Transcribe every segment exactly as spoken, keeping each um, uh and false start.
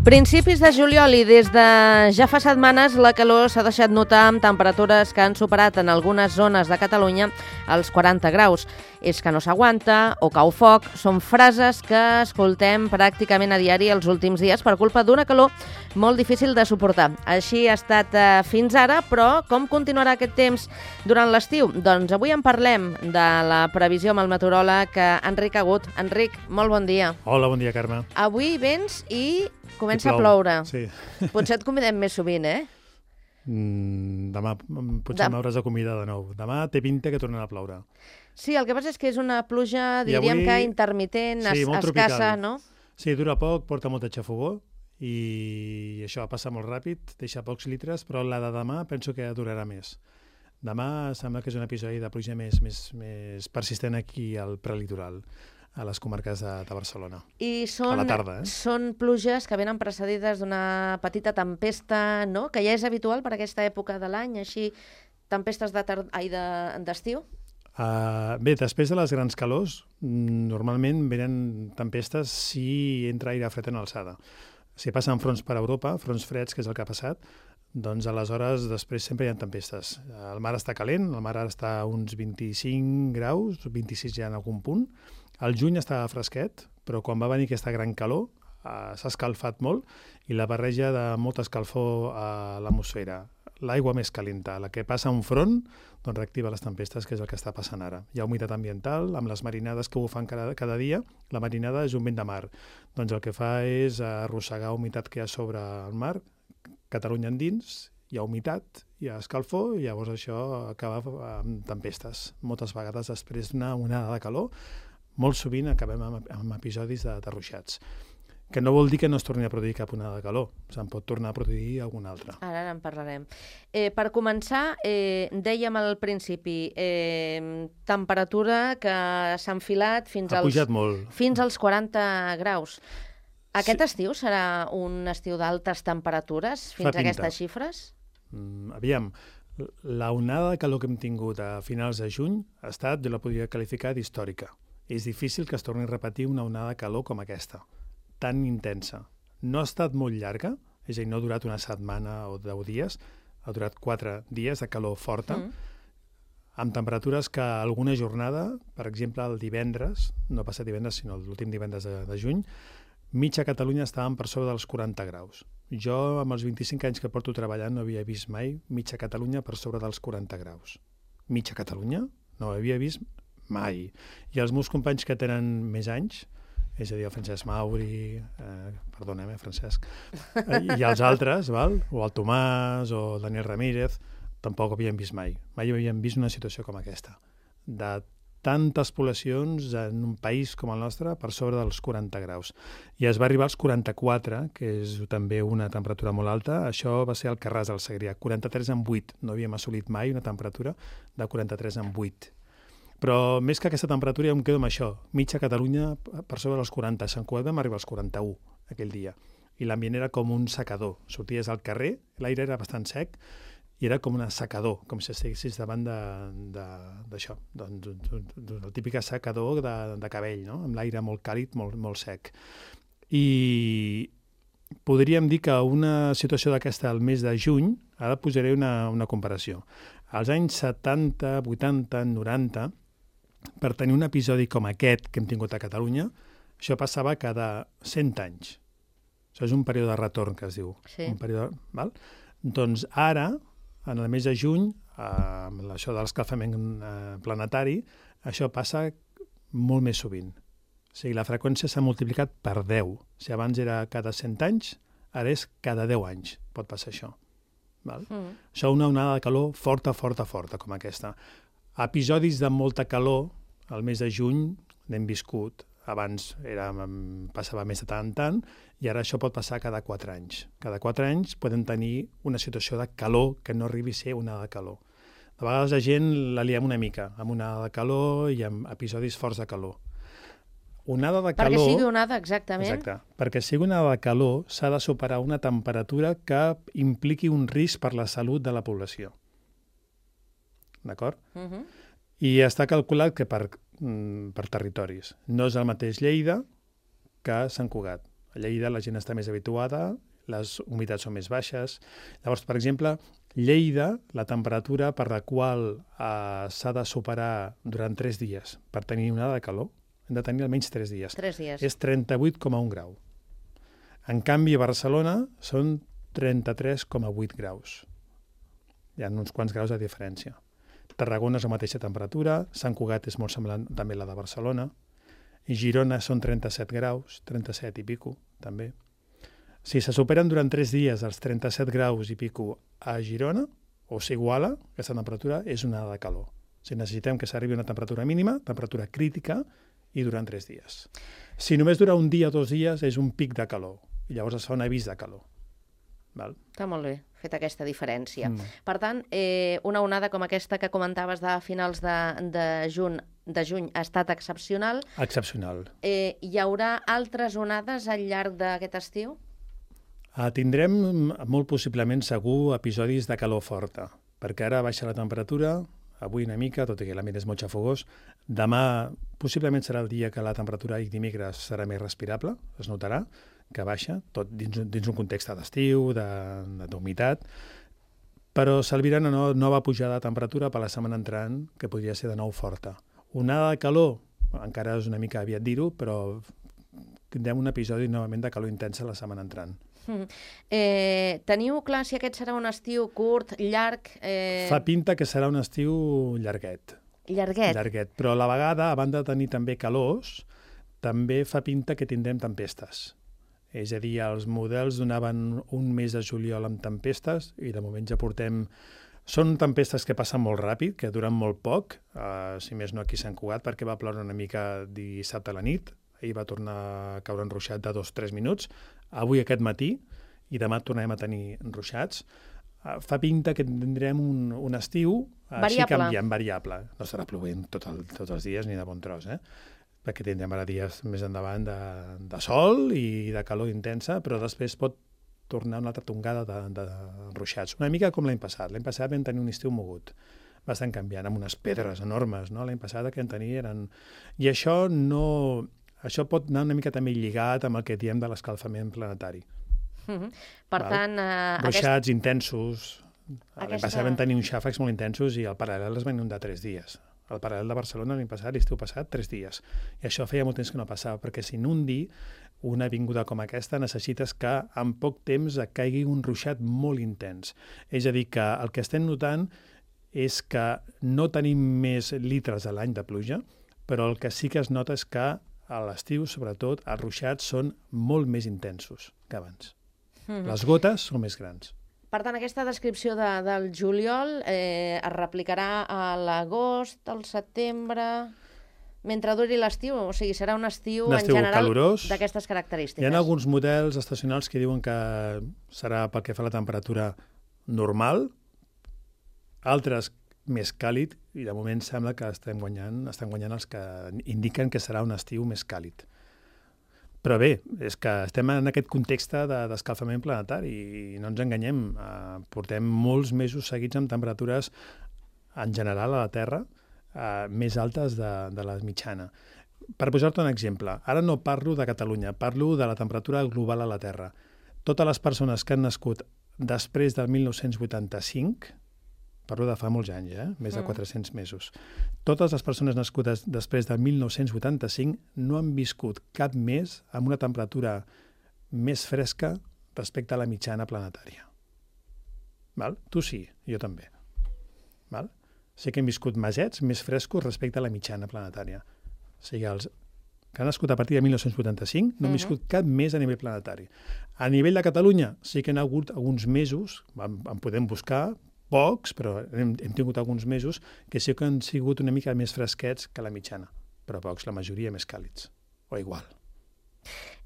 Principis de juliol i des de ja fa setmanes la calor s'ha deixat notar amb temperatures que han superat en algunes zones de Catalunya els quaranta graus. És que no s'aguanta o cau foc són frases que escoltem pràcticament a diari els últims dies per culpa d'una calor molt difícil de suportar. Així ha estat eh, fins ara, però com continuarà aquest temps durant l'estiu? Doncs avui en parlem de la previsió amb el meteoròleg Enric Agut. Enric, molt bon dia. Hola, bon dia, Carme. Avui vens i comença I a ploure. Sí. Potser et convidem més sovint, eh? Mm, demà potser Dem- m'hauràs de convidar de nou. Demà té pinta que tornarà a ploure. Sí, el que passa és que és una pluja, I diríem avui- que intermitent, Sí, es- molt escassa, tropical. no? Sí, dura poc, porta molta xafogó i això passa molt ràpid, deixa pocs litres, però la de demà penso que durarà més. Demà sembla que és un episodi de pluja més, més, més persistent aquí al prelitoral, a les comarques de, de Barcelona. I són, A la tarda, eh? són pluges que venen precedides d'una petita tempesta, no? Que ja és habitual per aquesta època de l'any, així tempestes de tar... Ai, de- d'estiu? Uh, bé, després de les grans calors, mm, normalment venen tempestes si entra aire fred en alçada. Si passen fronts per Europa, fronts freds, que és el que ha passat, doncs aleshores després sempre hi ha tempestes. El mar està calent, el mar ara està a uns vint-i-cinc graus, vint-i-sis ja en algun punt. El juny estava fresquet, però quan va venir aquesta gran calor uh, s'ha escalfat molt i la barreja de molta escalfor a l'atmosfera. L'aigua més calenta, la que passa a un front, doncs reactiva les tempestes, que és el que està passant ara. Hi ha humitat ambiental, amb les marinades que bufen cada, cada dia. La marinada és un vent de mar. Doncs el que fa és arrossegar humitat que hi ha sobre el mar, Catalunya endins, hi ha humitat, hi ha escalfor, i llavors això acaba amb tempestes. Moltes vegades després d'una onada de calor, molt sovint acabem amb, amb episodis de, de ruixats. Que no vol dir que no es torni a produir cap onada de calor, se'n pot tornar a produir alguna altra. Ara, ara en parlarem. Eh, per començar, eh, dèiem al principi, eh, temperatura que s'ha enfilat fins Ha als, pujat molt. fins als quaranta graus. Aquest Sí. estiu serà un estiu d'altes temperatures fins Fa a aquestes pinta. xifres? Mm, aviam, la onada de calor que hem tingut a finals de juny ha estat, jo la podria qualificar d'històrica. És difícil que es torni a repetir una onada de calor com aquesta, tan intensa. No ha estat molt llarga, és a dir, no ha durat una setmana o deu dies, ha durat quatre dies de calor forta, mm. amb temperatures que alguna jornada, per exemple el divendres, no passat divendres sinó l'últim divendres de, de juny, mitja Catalunya estàvem per sobre dels quaranta graus. Jo, amb els vint-i-cinc anys que porto treballant, no havia vist mai mitja Catalunya per sobre dels quaranta graus. Mitja Catalunya? No ho havia vist mai. I els meus companys que tenen més anys, és a dir, el Francesc Mauri, eh, perdona'm, eh, Francesc, eh, i els altres, val? O el Tomàs, o el Daniel Ramírez, tampoc ho havien vist mai. Mai havien vist una situació com aquesta. De tantes poblacions en un país com el nostre per sobre dels quaranta graus. I es va arribar als quaranta-quatre, que és també una temperatura molt alta. Això va ser el Carràs del Segrià, quaranta-tres en vuit. No havíem assolit mai una temperatura de quaranta-tres en vuit. Però més que aquesta temperatura ja em quedo amb això. Mitja Catalunya per sobre dels quaranta. A Sant Cugat vam arribar als quaranta-u aquell dia. I l'ambient era com un secador. Sorties al carrer, l'aire era bastant sec, i era com un secador, com si estiguessis davant d'això, doncs, el típic secador de, de cabell, no? Amb l'aire molt càlid, molt, molt sec. I podríem dir que una situació d'aquesta al mes de juny, ara posaré una, una comparació. Als anys setanta, vuitanta, noranta, per tenir un episodi com aquest que hem tingut a Catalunya, això passava cada cent anys. Això és un període de retorn, que es diu. Sí. Un període, val? Doncs ara, en el mes de juny, eh, amb això de l'escalfament eh, planetari, això passa molt més sovint. O sigui, la freqüència s'ha multiplicat per deu. Si abans era cada cent anys, ara és cada deu anys pot passar això. Val? Mm. Això una onada de calor forta, forta, forta, com aquesta. Episodis de molta calor, al mes de juny, n'hem viscut. Abans era, passava més de tant en tant, i ara això pot passar cada quatre anys. Cada quatre anys podem tenir una situació de calor que no arribi a ser una de calor. De vegades la gent la liem una mica, amb una de calor i amb episodis forts de calor. Onada de calor... Perquè sigui onada, exactament. Exacte. Perquè sigui una onada de calor s'ha de superar una temperatura que impliqui un risc per la salut de la població. D'acord? Uh -huh. I està calculat que per, per territoris. No és el mateix Lleida que Sant Cugat. A Lleida la gent està més habituada, les humitats són més baixes. Llavors, per exemple, Lleida, la temperatura per la qual eh, s'ha de superar durant tres dies per tenir onada de calor, hem de tenir almenys tres dies. Tres dies. És trenta-vuit coma un grau. En canvi, a Barcelona són trenta-tres coma vuit graus. Hi ha uns quants graus de diferència. Tarragona és la mateixa temperatura, Sant Cugat és molt semblant també a la de Barcelona, i Girona són trenta-set graus, trenta-set i pico, també. Si se superen durant tres dies els trenta-set graus i pico a Girona, o s'iguala, aquesta temperatura és una onada de calor. O sigui, necessitem que s'arribi a una temperatura mínima, temperatura crítica, i durant tres dies. Si només dura un dia o dos dies, és un pic de calor, i llavors es fa un avís de calor. Val? Està molt bé, fet aquesta diferència. Mm. Per tant, eh, una onada com aquesta que comentaves de finals de, de, juny, de juny ha estat excepcional. Excepcional. Eh, hi haurà altres onades al llarg d'aquest estiu? Uh, tindrem, molt possiblement, segur, episodis de calor forta, perquè ara baixa la temperatura, avui una mica, tot i que l'ambient és molt xafogós. Demà, possiblement, serà el dia que la temperatura i dimecres serà més respirable, es notarà que baixa, tot dins, dins un context d'estiu, d'humitat, però s'albirà una no, nova pujada de temperatura per la setmana entrant, que podria ser de nou forta. Onada de calor, encara és una mica aviat dir-ho, però tindrem un episodi novament de calor intensa la setmana entrant. Mm. Eh, teniu clar si aquest serà un estiu curt, llarg? Eh... Fa pinta que serà un estiu llarguet. Llarguet? Llarguet, però a la vegada, a banda de tenir també calors, també fa pinta que tindrem tempestes. És a dir, els models donaven un mes de juliol amb tempestes i de moment ja portem... Són tempestes que passen molt ràpid, que duren molt poc, uh, si més no aquí a Sant Cugat, perquè va ploure una mica dissabte a la nit, ahir va tornar a caure enruixat de dos o tres minuts, avui aquest matí, i demà tornarem a tenir enruixats. Uh, fa pinta que tindrem un, un estiu uh, així canviant, variable. No serà plovent tot el, tots els dies ni de bon tros, eh? Perquè tindrem ara dies més endavant de, de sol i de calor intensa, però després pot tornar una altra tongada d'enruixats. Una mica com l'any passat. L'any passat vam tenir un estiu mogut, bastant canviant, amb unes pedres enormes, no? L'any passat el que en tenia eren... I això no... Això pot anar una mica també lligat amb el que diem de l'escalfament planetari. Mm-hmm. Per Val? tant... Uh, Ruixats aquest... intensos. L'any aquesta... passat vam tenir uns xàfecs molt intensos i el paral·lel es va inundar tres dies. El paral·lel de Barcelona l'any passat, l'estiu passat, tres dies. I això feia molt temps que no passava, perquè s'inundi una avinguda com aquesta necessites que en poc temps et caigui un ruixat molt intens. És a dir, que el que estem notant és que no tenim més litres a l'any de pluja, però el que sí que es nota és que a l'estiu, sobretot, els ruixats són molt més intensos que abans. Mm. Les gotes són més grans. Per tant, aquesta descripció de, del juliol eh, es replicarà a l'agost, al setembre, mentre duri l'estiu? O sigui, serà un estiu, un estiu en general calorós, d'aquestes característiques. Hi ha alguns models estacionals que diuen que serà pel que fa a la temperatura normal, altres més càlid, i de moment sembla que estem guanyant, estan guanyant els que indiquen que serà un estiu més càlid. Però bé, és que estem en aquest context d'escalfament planetari i no ens enganyem. Eh, portem molts mesos seguits amb temperatures, en general, a la Terra, eh, més altes de, de la mitjana. Per posar-te un exemple, ara no parlo de Catalunya, parlo de la temperatura global a la Terra. Totes les persones que han nascut després del mil nou-cents vuitanta-cinc, parlo de fa molts anys, eh? Més de quatre-cents mesos. Totes les persones nascudes després del mil nou-cents vuitanta-cinc no han viscut cap mes amb una temperatura més fresca respecte a la mitjana planetària. Val? Tu sí, jo també. Val? Sí que hem viscut mesets més frescos respecte a la mitjana planetària. O sigui, els que han nascut a partir de mil nou-cents vuitanta-cinc no han viscut cap mes a nivell planetari. A nivell de Catalunya sí que han hagut alguns mesos, en, en podem buscar, pocs, però hem, hem tingut alguns mesos que sí que han sigut una mica més fresquets que la mitjana, però pocs, la majoria més càlids, o igual.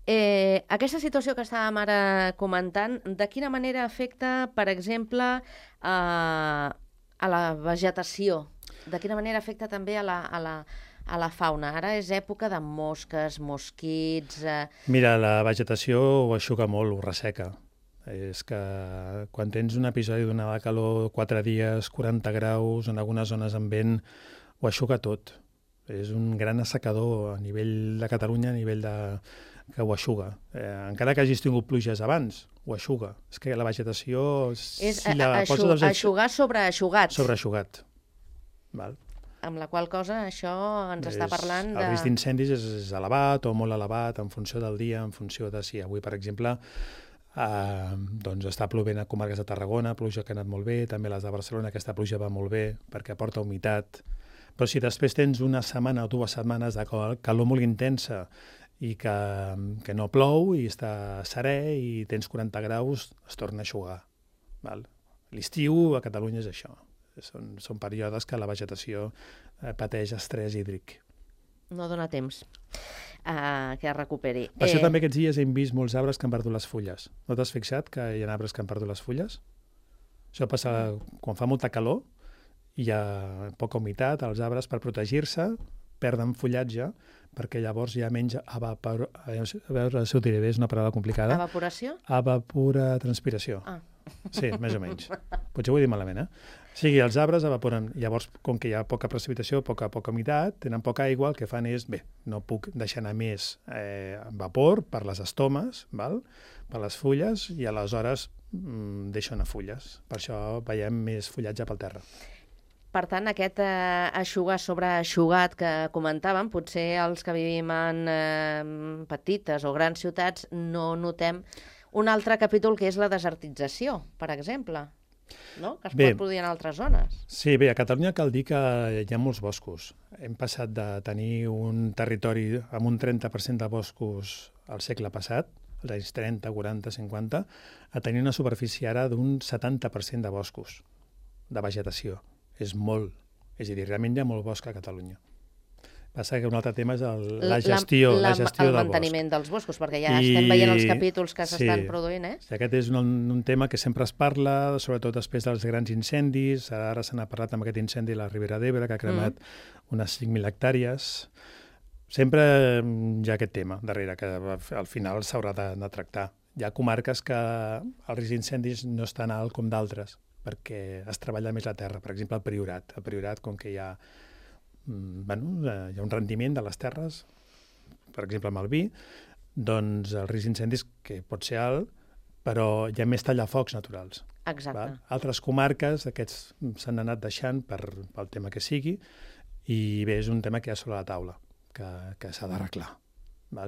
Eh, aquesta situació que estàvem ara comentant, de quina manera afecta, per exemple, a, a la vegetació? De quina manera afecta també a la, a la, a la fauna? Ara és època de mosques, mosquits... Eh... Mira, la vegetació ho aixuga molt, ho resseca. És que quan tens un episodi d'una de calor, quatre dies, quaranta graus, en algunes zones amb vent, ho aixuga tot. És un gran assecador a nivell de Catalunya, a nivell de, que ho aixuga. Eh, encara que hagis tingut pluges abans, ho aixuga. És que la vegetació... És si la aixu poses... aixugar sobre aixugat. Sobre aixugat. Val. Amb la qual cosa això ens és, està parlant de... El risc d'incendis és, és elevat o molt elevat en funció del dia, en funció de si avui, per exemple, eh, doncs està plovent a comarques de Tarragona, pluja que ha anat molt bé, també les de Barcelona, aquesta pluja va molt bé perquè aporta humitat. Però si després tens una setmana o dues setmanes de calor molt intensa i que, que no plou i està serè i tens quaranta graus, es torna a aixugar. L'estiu a Catalunya és això. Són, són períodes que la vegetació eh, pateix estrès hídric. No dona temps uh, que es recuperi. Per això eh... també aquests dies hem vist molts arbres que han perdut les fulles. No t'has fixat que hi ha arbres que han perdut les fulles? Això passa quan fa molta calor, hi ha poca humitat, els arbres per protegir-se perden fullatge perquè llavors hi ha menys evapor... A veure si ho diré bé, és una paraula complicada. Evaporació? Evapora transpiració. Ah. Sí, més o menys. Potser ho he dit malament, eh? O sigui, els arbres evaporen. Llavors, com que hi ha poca precipitació, poca, poca humitat, tenen poca aigua, el que fan és, bé, no puc deixar anar més eh, vapor per les estomes, val? Per les fulles, i aleshores mm, deixo anar fulles. Per això veiem més fullatge pel terra. Per tant, aquest eh, aixugar sobre aixugat que comentàvem, potser els que vivim en eh, petites o grans ciutats no notem un altre capítol que és la desertització, per exemple, no? Que es bé, pot produir en altres zones. Sí, bé, a Catalunya cal dir que hi ha molts boscos. Hem passat de tenir un territori amb un trenta per cent de boscos al segle passat, als anys trenta, quaranta, cinquanta, a tenir una superfície ara d'un setanta per cent de boscos, de vegetació. És molt. És a dir, realment hi ha molt bosc a Catalunya. Passa que un altre tema és el, la gestió, la, la, la gestió el del manteniment bosc. dels boscos, perquè ja I... estem veient els capítols que sí, s'estan produint, eh? Aquest és un, un tema que sempre es parla, sobretot després dels grans incendis. Ara se n'ha parlat amb aquest incendi a la Ribera d'Ebre, que ha cremat mm. unes cinc mil hectàrees. Sempre hi ha aquest tema darrere, que al final s'haurà de, de tractar. Hi ha comarques que el risc d'incendis no és tan alt com d'altres, perquè es treballa més la terra. Per exemple, el Priorat. El Priorat, com que hi ha Bueno, hi ha un rendiment de les terres, per exemple amb el vi, doncs el risc d'incendis que pot ser alt, però hi ha més tallafocs naturals. Exacte. Val? Altres comarques, aquests s'han anat deixant per, pel tema que sigui, i bé, és un tema que hi ha sobre la taula, que, que s'ha d'arreglar.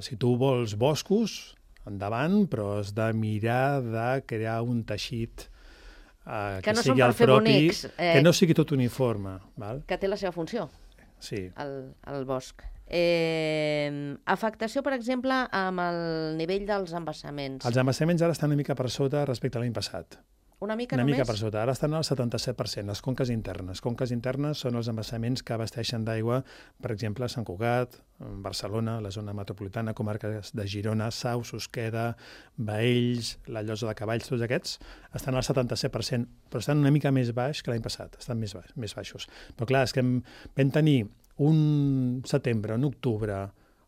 Si tu vols boscos, endavant, però has de mirar de crear un teixit eh, que, que no sigui el propi, bonics, eh, que no sigui tot uniforme. Val? Que té la seva funció. Sí. El, el bosc. Eh, afectació, per exemple, amb el nivell dels embassaments. Els embassaments ara estan una mica per sota respecte a l'any passat. Una mica una només? Una mica per sota. Ara estan al setanta-set per cent, les conques internes. Conques internes són els embassaments que abasteixen d'aigua, per exemple, a Sant Cugat, Barcelona, la zona metropolitana, comarques de Girona, Sau, Susqueda, Baells, la Llosa de Cavalls, tots aquests estan al setanta-set per cent, però estan una mica més baix que l'any passat, estan més, baix, més baixos. Però clar, és que vam tenir un setembre, un octubre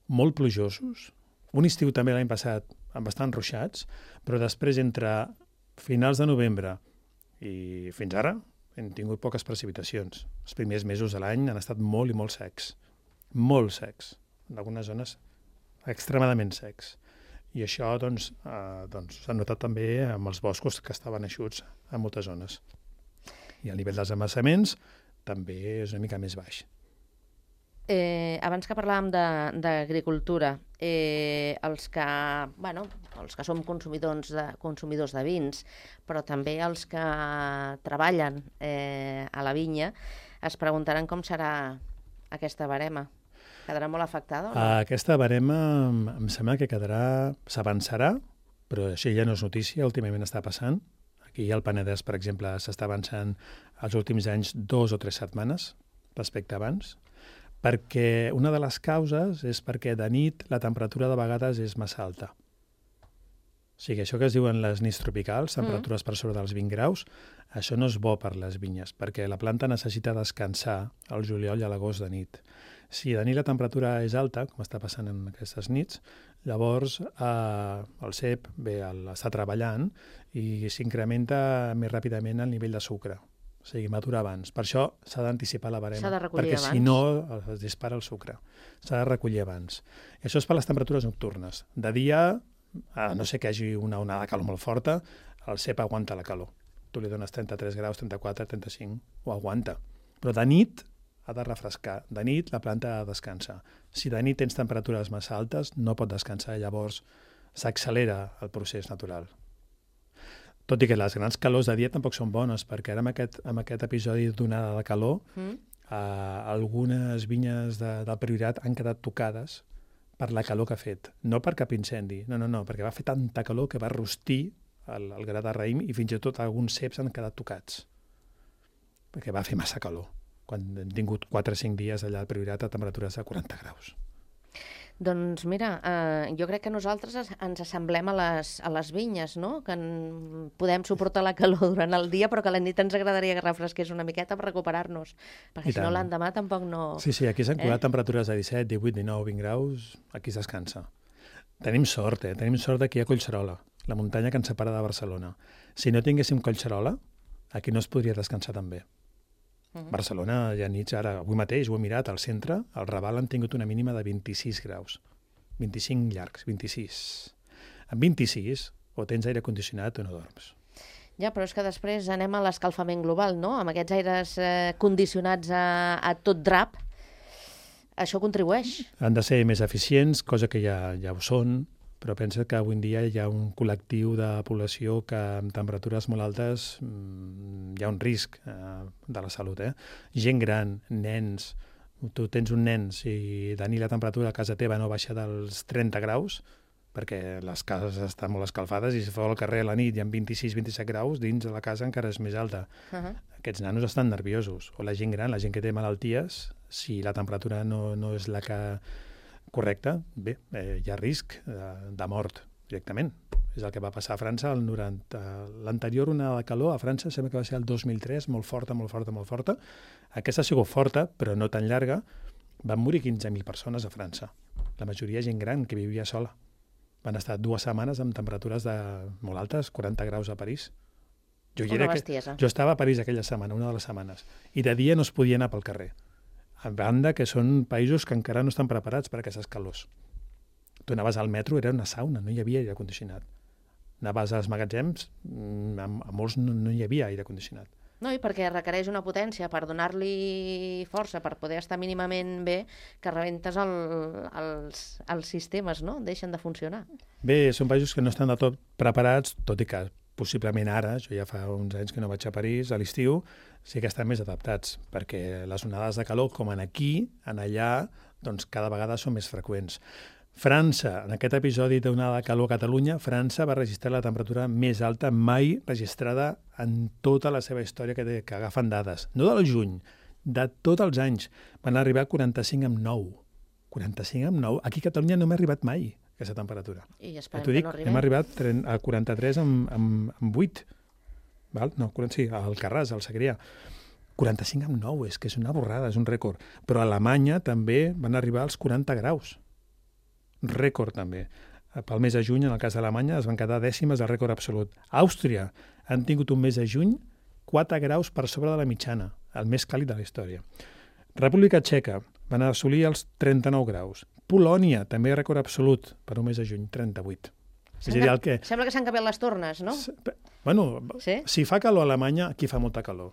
molt plujosos, un estiu també l'any passat amb bastant ruixats, però després entre finals de novembre i fins ara hem tingut poques precipitacions. Els primers mesos de l'any han estat molt i molt secs. Molt secs. En algunes zones extremadament secs. I això doncs, eh, doncs, s'ha notat també amb els boscos que estaven eixuts en moltes zones. I el nivell dels embassaments també és una mica més baix. Eh, abans que parlàvem d'agricultura, eh, els, que, bueno, els que som consumidors de, consumidors de vins, però també els que treballen eh, a la vinya, es preguntaran com serà aquesta barema. Quedarà molt afectada o no? Aquesta barema em sembla que quedarà, s'avançarà, però això ja no és notícia, últimament està passant. Aquí al Penedès, per exemple, s'està avançant els últims anys dos o tres setmanes respecte a abans, perquè una de les causes és perquè de nit la temperatura de vegades és massa alta. O sigui, això que es diuen les nits tropicals, temperatures mm. per sobre dels vint graus, això no és bo per les vinyes, perquè la planta necessita descansar al juliol i a l'agost de nit. Si de nit la temperatura és alta, com està passant en aquestes nits, llavors eh, el cep bé, el, està treballant i s'incrementa més ràpidament el nivell de sucre. O sigui, matura abans. Per això s'ha d'anticipar la barema. S'ha de recollir perquè abans. si no es dispara el sucre. S'ha de recollir abans. I això és per les temperatures nocturnes. De dia, a no sé que hi hagi una onada de calor molt forta, el cep aguanta la calor. Tu li dones trenta-tres graus, trenta-quatre, trenta-cinc, ho aguanta. Però de nit ha de refrescar. De nit la planta ha de descansar. Si de nit tens temperatures massa altes, no pot descansar, llavors s'accelera el procés natural. Tot i que les grans calors de dia tampoc són bones, perquè ara amb aquest, amb aquest episodi d'onada de calor, mm. eh, algunes vinyes de, del Priorat han quedat tocades per la calor que ha fet. No per cap incendi, no, no, no, perquè va fer tanta calor que va rostir el, el gra de raïm i fins i tot alguns ceps han quedat tocats, perquè va fer massa calor, quan hem tingut quatre o cinc dies allà al Priorat a temperatures de quaranta graus. Doncs mira, eh, jo crec que nosaltres ens assemblem a les, a les vinyes, no? Que en, podem suportar la calor durant el dia, però que a la nit ens agradaria que refresqués una miqueta per recuperar-nos, perquè I si tant. no l'endemà tampoc no... Sí, sí, aquí s'han eh? colat temperatures de disset, divuit, dinou, vint graus, aquí es descansa. Tenim sort, eh? Tenim sort que hi ha Collserola, la muntanya que ens separa de Barcelona. Si no tinguéssim Collserola, aquí no es podria descansar tan bé. Uh -huh. Barcelona hi ha nits, ara, avui mateix ho he mirat, al centre, al Raval han tingut una mínima de vint-i-sis graus. vint-i-cinc llargs, vint-i-sis. Amb vint-i-sis, o tens aire condicionat o no dorms. Ja, però és que després anem a l'escalfament global, no? Amb aquests aires eh, condicionats a, a tot drap, això contribueix. Han de ser més eficients, cosa que ja, ja ho són, però pensa que avui en dia hi ha un col·lectiu de població que amb temperatures molt altes mmm, hi ha un risc eh, de la salut. Eh? Gent gran, nens, tu tens un nen, si de nit la temperatura a casa teva no baixa dels trenta graus, perquè les cases estan molt escalfades i si feu al carrer a la nit i amb vint-i-sis vint-i-set graus, dins de la casa encara és més alta. Uh -huh. Aquests nanos estan nerviosos. O la gent gran, la gent que té malalties, si la temperatura no, no és la que correcta, bé, eh, hi ha risc de, de mort directament. És el que va passar a França al noranta. L'anterior onada de calor a França sembla que va ser el dos mil tres, molt forta, molt forta, molt forta. Aquesta ha sigut forta, però no tan llarga. Van morir quinze mil persones a França. La majoria gent gran que vivia sola. Van estar dues setmanes amb temperatures de molt altes, quaranta graus a París. Jo, hi era que, jo estava a París aquella setmana, una de les setmanes, i de dia no es podia anar pel carrer. A banda que són països que encara no estan preparats per a aquestes calors. Tu anaves al metro, era una sauna, no hi havia aire condicionat. Anaves als magatzems, a, a molts no, no hi havia aire condicionat. No, i perquè requereix una potència per donar-li força, per poder estar mínimament bé, que rebentes el, els, els sistemes, no? Deixen de funcionar. Bé, són països que no estan de tot preparats, tot i que possiblement ara, jo ja fa uns anys que no vaig a París, a l'estiu, sí que estan més adaptats, perquè les onades de calor, com en aquí, en allà, doncs cada vegada són més freqüents. França, en aquest episodi d'onada de calor a Catalunya, França va registrar la temperatura més alta mai registrada en tota la seva història, que, té, que agafen dades. No del juny, de tots els anys. Van arribar a quaranta-cinc amb nou. quaranta-cinc amb nou. Aquí a Catalunya no m'ha arribat mai aquesta temperatura. I esperem dic, que no arribi. Hem arribat a quaranta-tres amb, amb, amb vuit. Val? No, sí, al Carràs, al Segrià. quaranta-cinc amb nou, és que és una borrada, és un rècord. Però a Alemanya també van arribar als quaranta graus. Rècord també. Pel mes de juny, en el cas d'Alemanya, es van quedar dècimes del rècord absolut. Àustria han tingut un mes de juny quatre graus per sobre de la mitjana, el més càlid de la història. República Txeca van assolir els trenta-nou graus. Polònia, també rècord absolut per un mes de juny, trenta-vuit. És a dir, el que... Sembla que s'han canviat les tornes, no? Bueno, sí? Si fa calor a Alemanya, aquí fa molta calor.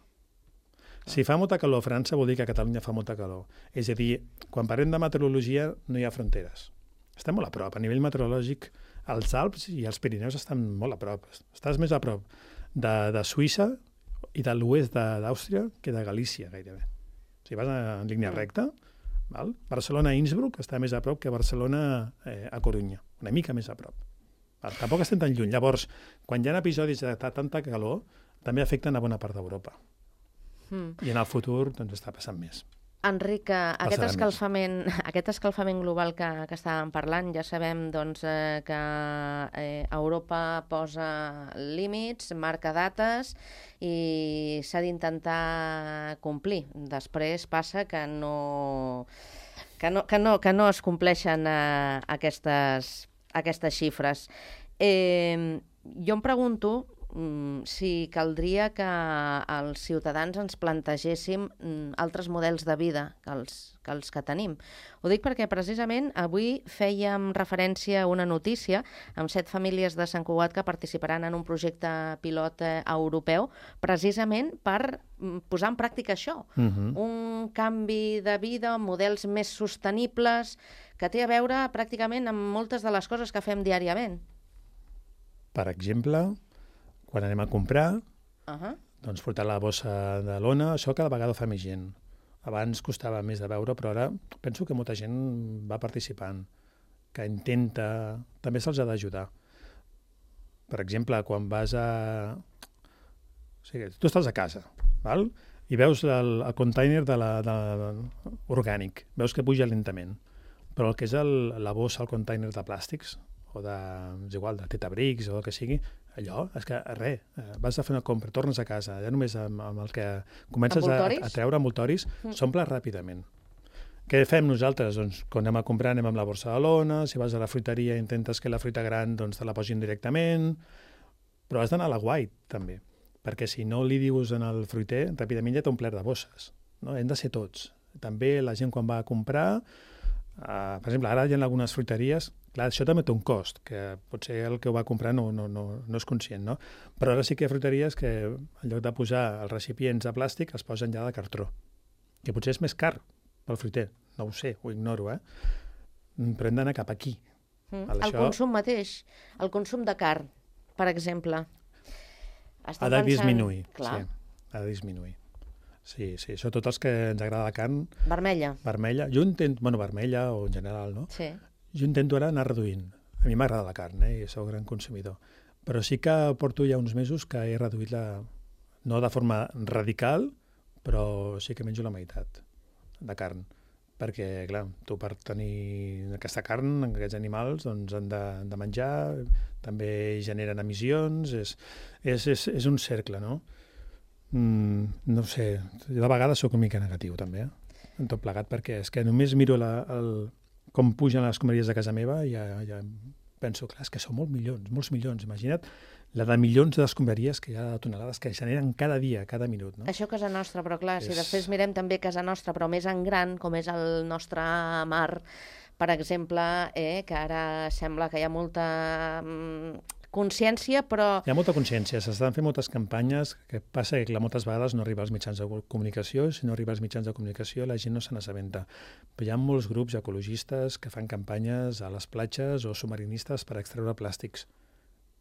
Si fa molta calor a França, vol dir que a Catalunya fa molta calor. És a dir, quan parlem de meteorologia, no hi ha fronteres. Estem molt a prop. A nivell meteorològic, els Alps i els Pirineus estan molt a prop. Estàs més a prop de, de Suïssa i de l'oest d'Àustria que de Galícia, gairebé. Si vas en línia recta, val? Barcelona-Innsbruck està més a prop que Barcelona eh, a Corunya, una mica més a prop. Val? Tampoc estem tan lluny. Llavors, quan hi ha episodis de tanta calor, també afecten a bona part d'Europa. Mm. I en el futur doncs, està passant més. Enric, aquest escalfament, aquest escalfament global que, que estàvem parlant, ja sabem doncs, eh, que eh, Europa posa límits, marca dates i s'ha d'intentar complir. Després passa que no, que no, que no, que no es compleixen eh, aquestes, aquestes xifres. Eh, jo em pregunto, si caldria que els ciutadans ens plantegéssim altres models de vida que els, que els que tenim. Ho dic perquè precisament avui fèiem referència a una notícia amb set famílies de Sant Cugat que participaran en un projecte pilot europeu precisament per posar en pràctica això. Uh-huh. Un canvi de vida, models més sostenibles, que té a veure pràcticament amb moltes de les coses que fem diàriament. Per exemple, quan anem a comprar, uh-huh. doncs portar la bossa de lona, això cada vegada fa més gent. Abans costava més de veure, però ara penso que molta gent va participant, que intenta... També se'ls ha d'ajudar. Per exemple, quan vas a... O sigui, tu estàs a casa, val? I veus el, el container de la, de, de, orgànic, veus que puja lentament, però el que és el, la bossa, el container de plàstics, o de, és igual, de Tetabricks o el que sigui, allò, és que res, vas a fer una compra, tornes a casa, ja només amb, amb el que comences a, a treure envoltoris, mm. s'omple ràpidament. Què fem nosaltres? Doncs quan anem a comprar anem amb la borsa de lona, si vas a la fruiteria intentes que la fruita gran doncs, te la posin directament, però has d'anar a la guai també, perquè si no li dius en el fruiter, ràpidament ja t'ha omplert de bosses. No? Hem de ser tots. També la gent quan va a comprar, Uh, per exemple, ara hi ha algunes fruiteries, clar, això també té un cost, que potser el que ho va comprar no, no, no, no és conscient, no? Però ara sí que hi ha fruiteries que en lloc de posar els recipients de plàstic els posen ja de cartró, que potser és més car pel fruiter, no ho sé, ho ignoro, eh? Però hem d'anar cap aquí. Mm. El això... consum mateix, el consum de carn, per exemple. Estem ha de pensant... disminuir, clar. Sí, ha de disminuir. Sí, sí, sobretot els que ens agrada la carn... Vermella. Vermella. Jo intento... Bueno, vermella o en general, no? Sí. Jo intento ara anar reduint. A mi m'agrada la carn, eh? I soc gran consumidor. Però sí que porto ja uns mesos que he reduït la... No de forma radical, però sí que menjo la meitat de carn. Perquè, clar, tu per tenir aquesta carn, aquests animals, doncs han de, han de menjar, també generen emissions, és, és, és, és un cercle, no? Mm, no sé, de vegades sóc una mica negatiu també, eh? En tot plegat, perquè és que només miro la, el, com pugen les escombraries de casa meva i ja, ja penso, clar, és que són molts milions, molts milions, imagina't la de milions d'escombraries que hi ha de tonelades que generen cada dia, cada minut, no? Això a casa nostra, però clar, és... si després mirem també casa nostra, però més en gran, com és el nostre mar, per exemple, eh, que ara sembla que hi ha molta... Mm, consciència, però... Hi ha molta consciència, s'estan fent moltes campanyes, que passa que clar, moltes vegades no arriba als mitjans de comunicació, si no arriba als mitjans de comunicació la gent no se n'assabenta. Però hi ha molts grups ecologistes que fan campanyes a les platges o submarinistes per extreure plàstics.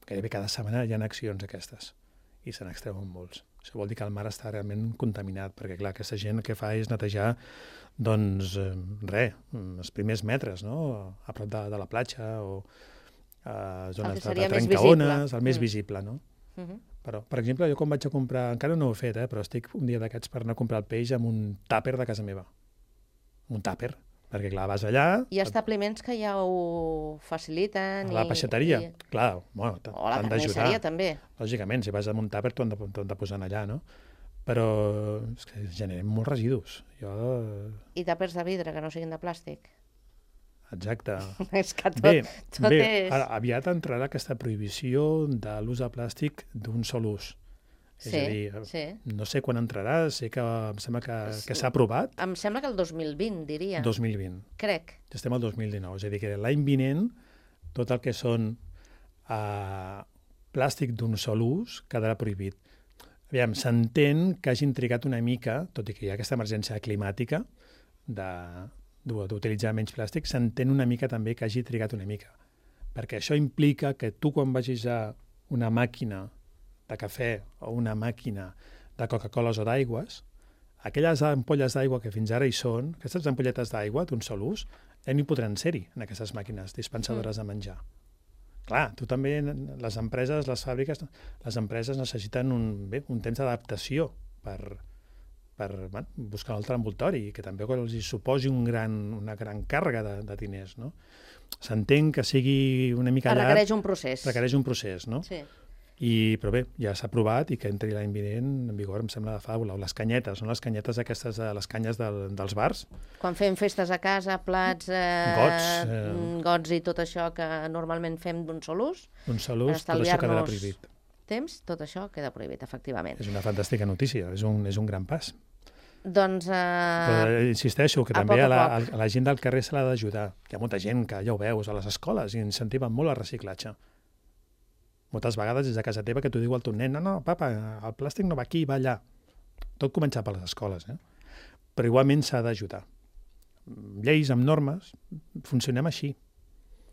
Gairebé cada setmana hi ha accions aquestes i se n'extreuen molts. Això vol dir que el mar està realment contaminat, perquè clar, aquesta gent el que fa és netejar doncs, eh, res, els primers metres, no? A prop de, de la platja o a zones de, de trencaones, el més mm. visible, no? Uh-huh. Però, per exemple, jo quan vaig a comprar, encara no ho he fet, eh, però estic un dia d'aquests per anar a comprar el peix amb un tàper de casa meva. Un tàper, perquè clar, vas allà... Hi ha establiments que ja ho faciliten... A la peixateria, i... clar, bueno, o la carnisseria també. Lògicament, si vas amb un tàper t'ho han de, de posar allà, no? Però és que generem molts residus. Jo... I tàpers de vidre, que no siguin de plàstic. Exacte. És que tot, bé, tot bé, és... Ara, aviat entrarà aquesta prohibició de l'ús de plàstic d'un sol ús. És sí, a dir, sí. No sé quan entrarà, sé que em sembla que, que s'ha aprovat. Em sembla que el dos mil vint, diria. dos mil vint. Crec. Ja estem al dos mil dinou, és a dir, que l'any vinent tot el que són uh, plàstic d'un sol ús quedarà prohibit. Aviam, s'entén que hagin trigat una mica, tot i que hi ha aquesta emergència climàtica de... d'utilitzar menys plàstic, s'entén una mica també que hagi trigat una mica. Perquè això implica que tu quan vagis a una màquina de cafè o una màquina de Coca-Coles o d'aigües, aquelles ampolles d'aigua que fins ara hi són, aquestes ampolletes d'aigua d'un sol ús, ja no hi podran ser-hi en aquestes màquines dispensadores de menjar. Clar, tu també, les empreses, les fàbriques, les empreses necessiten un, bé, un temps d'adaptació per... per bueno, buscar un altre envoltori, que també els suposi un gran, una gran càrrega de, de diners, no? S'entén que sigui una mica llarg... Requereix un procés. Requereix un procés, no? Sí. I, però bé, ja s'ha aprovat i que entri l'any vinent en vigor, em sembla de faula. O les canyetes, són les canyetes aquestes, les canyes del, dels bars. Quan fem festes a casa, plats, eh, gots, eh, gots i tot això que normalment fem d'un sol ús, d'un sol ús, tot això quedarà prohibit. temps, tot això queda prohibit, efectivament. És una fantàstica notícia, és un, és un gran pas. Doncs... Eh... Però insisteixo que a també poc a a la, poc. a la gent del carrer se l'ha d'ajudar. Hi ha molta gent que, ja ho veus, a les escoles i incentiven molt el reciclatge. Moltes vegades des de casa teva que t'ho diu el teu nen, no, no, papa, el plàstic no va aquí, va allà. Tot comença per les escoles, eh? Però igualment s'ha d'ajudar. Lleis amb normes, funcionem així.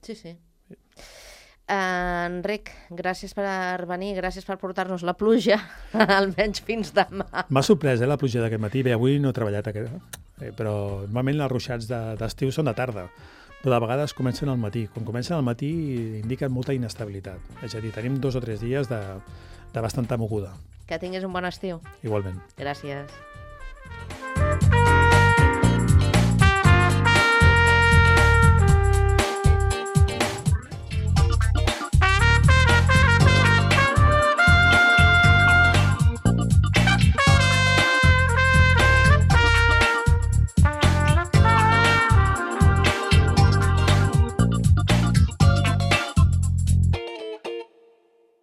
Sí, sí. Uh, Enric, gràcies per venir, gràcies per portar-nos la pluja, almenys fins demà. M'ha sorprès, eh, la pluja d'aquest matí. Bé, avui no he treballat, aquest, eh, però normalment els ruixats d'estiu de, són de tarda, però de vegades comencen al matí. Quan comencen al matí indiquen molta inestabilitat. És a dir, tenim dos o tres dies de, de bastanta moguda. Que tinguis un bon estiu. Igualment. Gràcies.